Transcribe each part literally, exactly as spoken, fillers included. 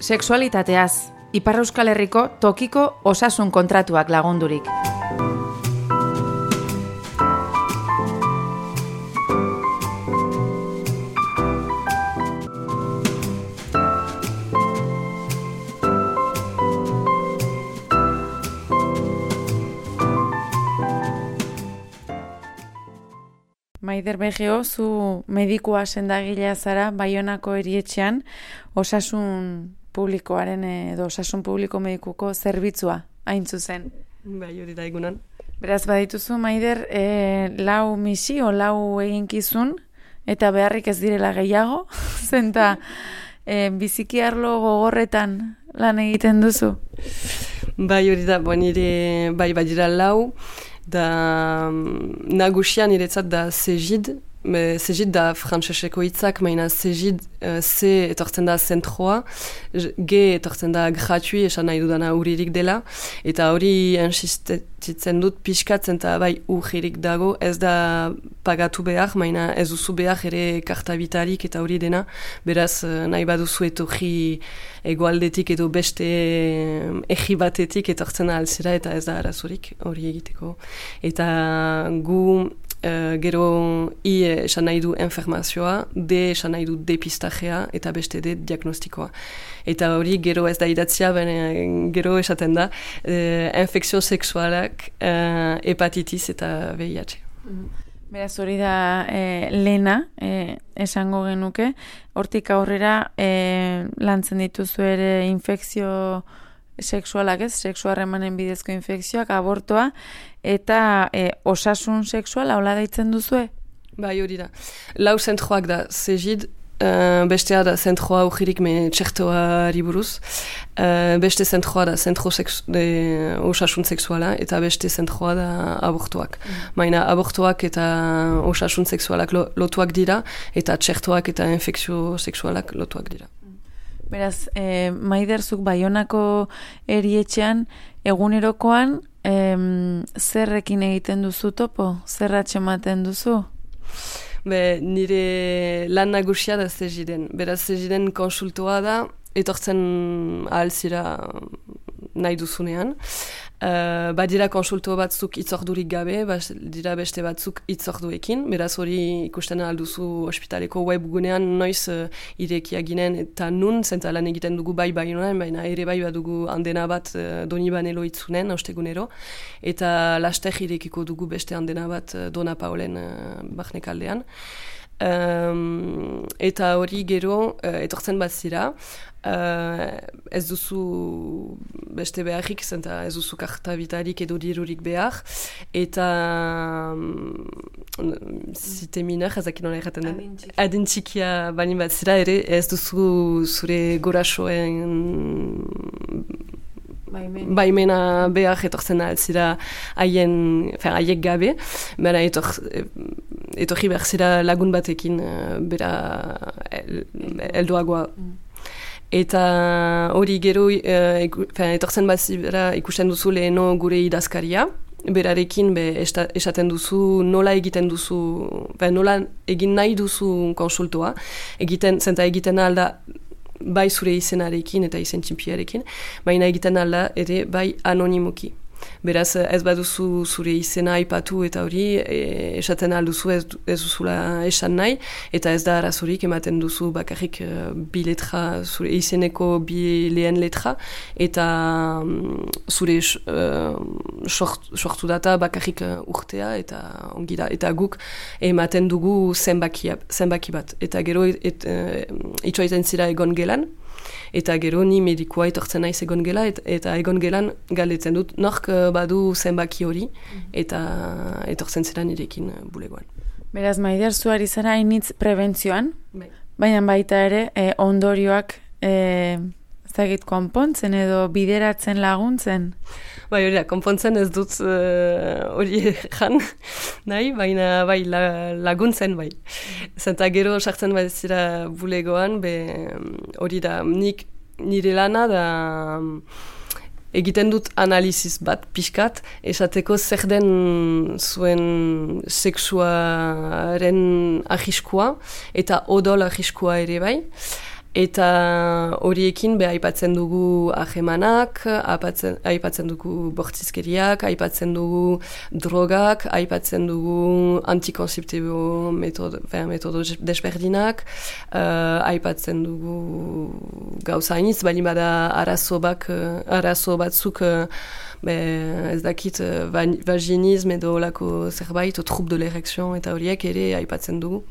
Sexualitateaz, Ipar Euskal Herriko tokiko osasun kontratuak lagundurik. Maider Begeo, zu medikua sendagilea zara Baionako erietxean osasun publikoaren edo osasun publiko medikuko zerbitzua hain zuzen. Bai, hori da egunan. Beraz, badituzu, Maider, e, lau misio, lau eginkizun, eta beharrik ez direla gehiago, zenta e, biziki arlo gogorretan lan egiten duzu? Bai, hori da, bon, nire, bai, badira lau, da nagusia niretzat da segid, Me, segid da frantseseko hitzak, maina segid uh, C etortzen da zentroa, G etortzen da gratui, esan nahi dudana uririk dela, eta hori insistitzen dut pixkatzen eta bai urririk dago, ez da pagatu behar, maina ez duzu behar ere kartabitarik eta hori dena, beraz nahi baduzu etorri egoaldetik edo beste egi batetik etortzen alzera eta ez da arazurik hori egiteko. Eta gu Uh, gero I esan nahi du enfermazioa, D esan nahi du depistajea eta beste D diagnostikoa. Eta hori gero ez da idatzia, ben, gero esaten da uh, infekzio sexualak, uh, hepatitis eta V I H. Beraz hori da e, lehena, e, esango genuke, hortik aurrera e, lantzen dituzu ere infekzio sexualak, ez, sexuarremanen bidezko infekzioak, abortoa, eta e, osasun sexuala, hola deitzen duzue? Bai, hori da. Lau zentroak da segid, uh, bestea da zentroa ujirik me txertoari buruz, uh, beste zentroa da zentro sexu, de, osasun sexuala, eta beste zentroa da abortuak. Mm. Maina abortuak eta osasun sexualak lo, lotuak dira, eta txertoak eta infekzio sexualak lotuak dira. Beraz, e, Maiderzuk Baionako erietxean egunerokoan em, zerrekin egiten duzu topo? Zer atxematen duzu? Be, nire lan nagusia da segiden. Beraz, segiden konsultoa da, etortzen ahalzira nahi duzunean. Uh, badira konsulto batzuk itzordurik gabe, badira beste batzuk itzorduekin, beraz hori ikusten alduzu ospitaleko webgunean noiz uh, irekia ginen eta nun, zenta lan egiten dugu bai Baionan, baina ere bai badugu andena bat uh, Donibane loitzunen, ostegunero, eta laster irekiko dugu beste andena bat uh, Dona Paolen uh, barnekaldean. Um, eta hori gero uh, etortzen bat zira, uh, ez duzu beste beharrik, zenta ez duzu kartabitarik edo dirurik behar, eta um, zite minar, ezak nola erraten den, adintxikia balin bat zira ere, ez duzu zure gorasoen Baimena. Baimena behar etortzen altzira haien, haiek gabe, bera etor, etorri behar zira lagun batekin bera el, eldoagoa. Mm. Eta hori gero e, etortzen bat zira ikusten duzu leheno gure idazkaria, berarekin be, esta, esaten duzu nola egiten duzu, be, nola egin nahi duzu konsultoa, egiten, zenta egiten alda bai zure izenarekin eta izen txinpiarekin, baina egiten alda ere bai anonimoki. Beraz, ez baduzu zure izena aipatu eta hori e, esaten alduzu ez, ez duzula esan nahi, eta ez da arazorik ematen duzu bakarrik uh, bi letra, zure izeneko bi lehen letra, eta um, zure uh, short, sortu data bakarrik uh, urtea eta ongi da, eta guk ematen dugu zenbaki, zenbaki bat. Eta gero et, uh, itxoiten zira egon gelan, eta gero ni medikoa etortzen naiz egon gela, et, eta egon gelan galdetzen dut nork badu zenbaki hori, eta etortzen zera nirekin bulegoan. Beraz, Maider, zuari zara hainitz prebentzioan, bai. Baina baita ere e, ondorioak e, zagit konpontzen edo bideratzen laguntzen? Bai, hori da, konpontzen ez dut hori uh, jan, nahi, baina bai, la, laguntzen bai. Zenta gero sartzen bat zira bulegoan, hori da, nik nire lana da egiten dut analiziz bat pixkat, esateko zer den zuen sexuaren ahiskua eta odol ahiskua ere bai. Eta horiekin be aipatzen dugu ahemanak, aipatzen dugu bortizkeriak, aipatzen dugu drogak, aipatzen dugu antikonzeptibo metodo, metodo desberdinak, uh, aipatzen dugu gauza hainitz, bali bada arazo, bak, arazo batzuk uh, be, ez dakit uh, vaginism edo lako zerbait, trouble de l'erection eta horiek ere aipatzen dugu.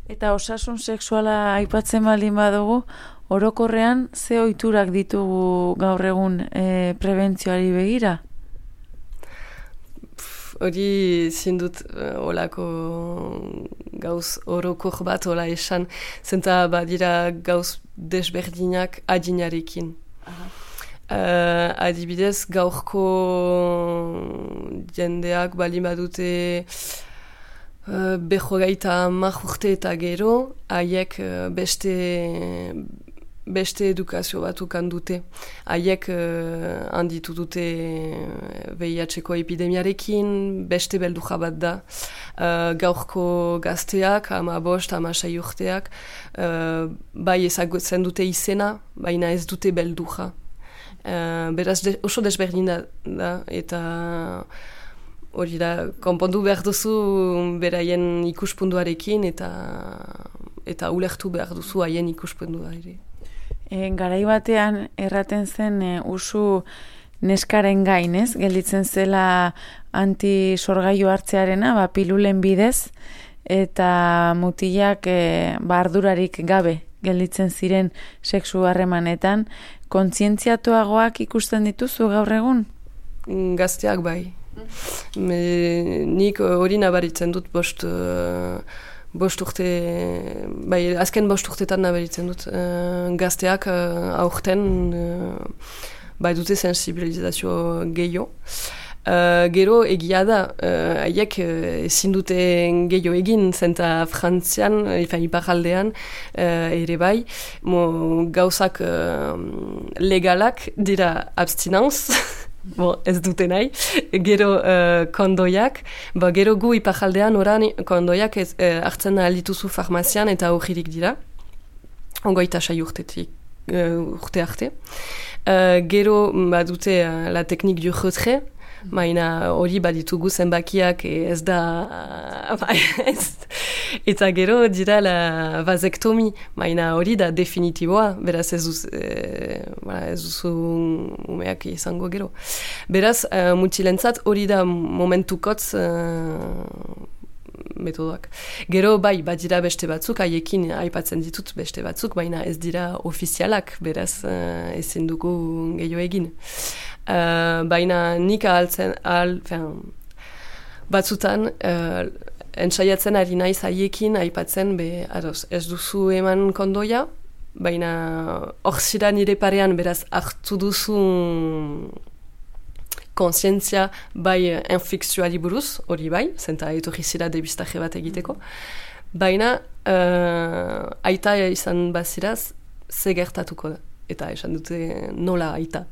Eta osasun sexuala aipatzen baldin badugu, orokorrean ze ohiturak ditugu gaur egun e, prebentzioari begira? Hori zindut uh, olako gauz orokor bat ola esan, zenta badira gauz desberdinak adinarekin. Uh, adibidez, gaurko jendeak baldin badute Uh, Behogeita hamar urte eta gero, haiek uh, beste, beste edukazio batukan dute. Haiek uh, handitu dute V I H-ko epidemiarekin, beste belduja bat da. Uh, gaurko gazteak, ama bost, ama sei urteak, uh, bai ezagutzen dute izena, baina ez dute belduja. Uh, beraz, de, oso desberdin da, eta hori da, konpondu behar duzu beraien ikuspunduarekin eta eta ulertu behar duzu haien ikuspundua ere. E, garai batean erraten zen e, usu neskaren gain, ez? Gelditzen zela antisorgailu hartzearena, ba, pilulen bidez, eta mutilak e, ba, ardurarik gabe gelditzen ziren sexu harremanetan. Kontzientziatuagoak ikusten dituzu gaur egun? Gazteak bai. Me, nik hori nabaritzen dut bost, uh, bost urte, bai, azken bost urtetan nabaritzen dut. Uh, gazteak uh, aurten uh, bai dute sensibilizazio gehiago. Uh, gero egia da, haiek uh, ezin dute gehiago egin, zenta Frantzian, ifan iparaldean, uh, ere bai, mo, gauzak uh, legalak dira abstinenz, Bo, ez dute nahi, gero uh, kondoiak, ba, gero gu ipajaldean oran kondoiak ez, eh, hartzen aldituzu farmazian eta horririk dira, ongoita sai urtetik, uh, urte arte. Uh, gero ba, dute uh, la teknik du retrait, maina hori baditugu zenbakiak ez da, uh, ez, eta gero dira la vazektomi, maina hori da definitiboa, beraz ez duz, e, ez duzu umeak izango gero. Beraz, uh, mutilentzat hori da momentukotz uh, metodoak. Gero bai, badira beste batzuk, haiekin aipatzen ditut beste batzuk, baina ez dira ofizialak, beraz uh, ezin dugu gehiago egin. Uh, baina nik ahaltzen, ahal, batzutan, uh, entsaiatzen ari naiz haiekin aipatzen, be, ados, ez duzu eman kondoia, baina hor zira nire parean, beraz hartu duzu konsientzia bai infekzioari buruz, hori bai, zenta etorri zira debistaje bat egiteko, baina uh, aita izan baziraz, ze gertatuko da. Eta esan dute nola aita.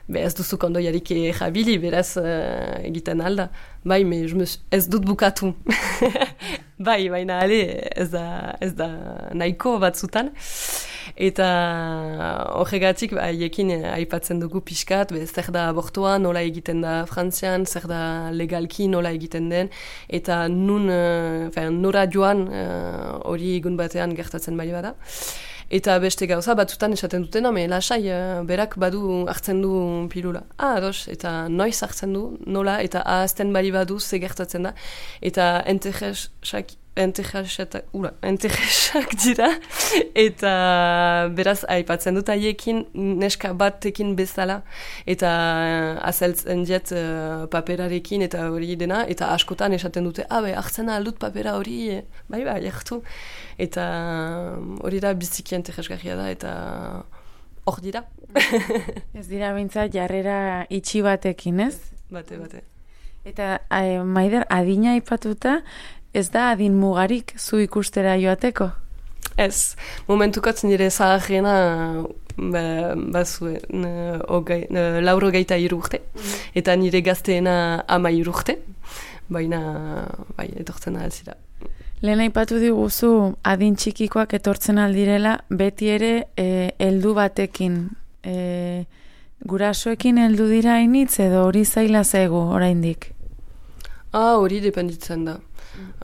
Be ez duzu kondoiarik jabili, beraz uh, egiten alda. Bai, me, ez dut bukatu. Bai, baina ale, ez da, ez da nahiko batzutan. Eta horregatik, haiekin aipatzen dugu pixkat, be, zer da abortua, nola egiten da Frantzian, zer da legalki nola egiten den, eta nun, uh, nora joan hori uh, egun batean gertatzen bai bada. Eta beste gauza batzutan esaten duten, me lasai, berak badu hartzen du pilula. Ah, ados, eta noiz hartzen du, nola, eta ahazten bali badu ze gertatzen da. Eta entejesak, entejesak, ura, entejesak dira. Eta beraz, aipatzen dut haiekin neska batekin bezala. Eta azeltzen jet uh, paperarekin eta hori dena. Eta askotan esaten dute, ah, be, hartzen aldut papera hori, bai, bai, hartu. Eta hori da biziki entejesgarria da, eta hor dira. Ez dira bintzat jarrera itxi batekin, ez? Bate, bate. Eta eh, Maider, adina aipatuta, ez da adin mugarik zu ikustera joateko? Ez, momentukatz nire zaharrena ba, bazue, okay, lauro gaita irurte, eta nire gazteena ama irurte, baina bai, etortzen ahalzira. Lehen aipatu diguzu adin txikikoak etortzen aldirela, beti ere e, heldu batekin. E, gurasoekin heldu dira hainitz edo hori zaila zaigu oraindik? Ah, hori dependitzen da.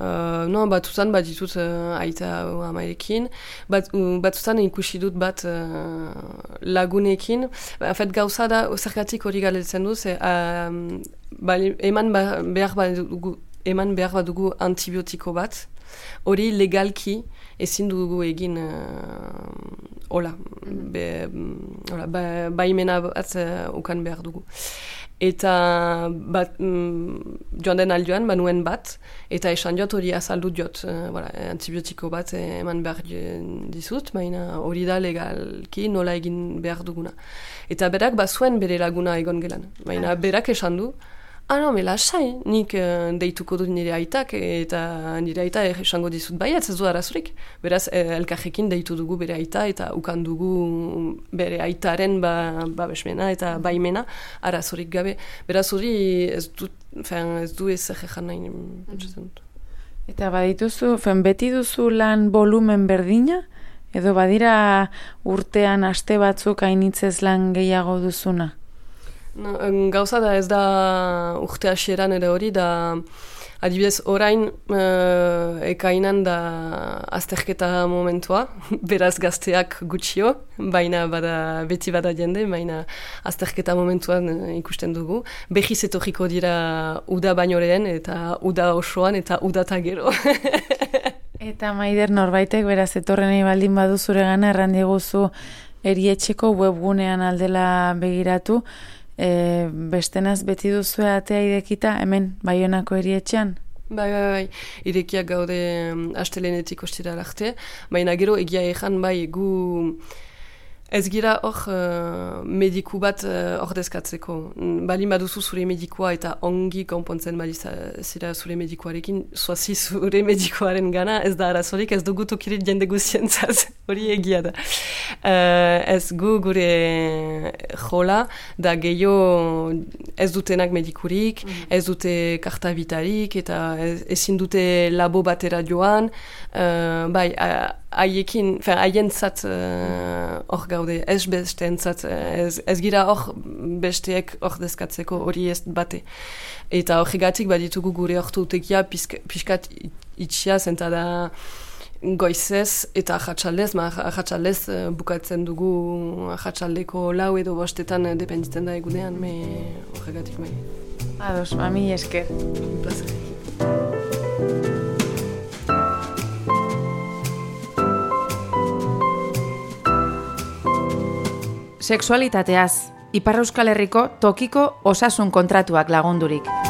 Uh, no, batzutan bat ditut uh, aita amarekin, bat, uh, batzutan ikusi dut bat uh, lagunekin. En fet, gauza da, zergatik hori galetzen du, ze, uh, ba, eman ba, behar bat dugu, eman behar bat dugu antibiotiko bat, hori legalki ezin dugu egin uh, hola, be, hola, ba, baimena bat uh, ukan behar dugu. Eta bat, mm, joan den aldioan, banuen bat, eta esan jot hori azaldu jot, uh, voilà, antibiotiko bat eman behar dizut, baina hori da legalki nola egin behar duguna. Eta berak bazuen bere laguna egon gelan, baina berak esan du, ah no, me lasai, nik uh, deituko dut nire aitak, eta nire aita esango dizut baiat, ez du arazurik. Beraz, eh, elkarrekin deitu dugu bere aita, eta ukan dugu bere aitaren ba, babesmena eta baimena arazurik gabe. Beraz, hori ez du, fen, ez du ez egejan nahi pentsatzen dut. Eta badituzu, fen, beti duzu lan volumen berdina? Edo badira urtean aste batzuk hainitzez lan gehiago duzuna? No, gauza da ez da urte hasieran ere hori, da adibidez orain uh, ekainan da azterketa momentua, beraz gazteak gutxio, baina bada, beti bada jende, baina azterketa momentuan uh, ikusten dugu. Behiz etorriko dira uda baino lehen eta uda osoan eta udata gero. Eta Maider, norbaitek beraz etorren nahi baldin badu zure gana erran diguzu erietxeko webgunean aldela begiratu. E, bestenaz beti duzu atea idekita hemen Baionako erietxean? Bai, bai, bai, irekiak gaude um, astelenetik ostira arte, baina gero egia ejan bai gu ez gira hor uh, mediku bat uh, ordezkatzeko. Balin baduzu zure medikua eta ongi konpontzen bali zira zure medikuarekin, zoazi zure medikuaren gana, ez da arazorik, ez dugu tokirit jende guzientzat, hori egia da. Uh, ez gu gure jola, da gehiago ez dutenak medikurik, mm. ez dute karta bitarik, eta ez, ezin dute labo batera joan, uh, bai, haiekin, uh, haientzat hor uh, gaude, ez besteentzat, ez, ez gira hor besteek hor dezkatzeko hori ez bate. Eta horregatik baditugu gure ortutekia pixkat itxia zenta da goizez eta ahatsaldez, ma ahatsaldez bukatzen dugu ahatsaldeko lau edo bostetan dependitzen da egunean, me horregatik bai. Ados, mami esker. Plazer. Sexualitateaz, Ipar Euskal Herriko tokiko osasun kontratuak lagundurik.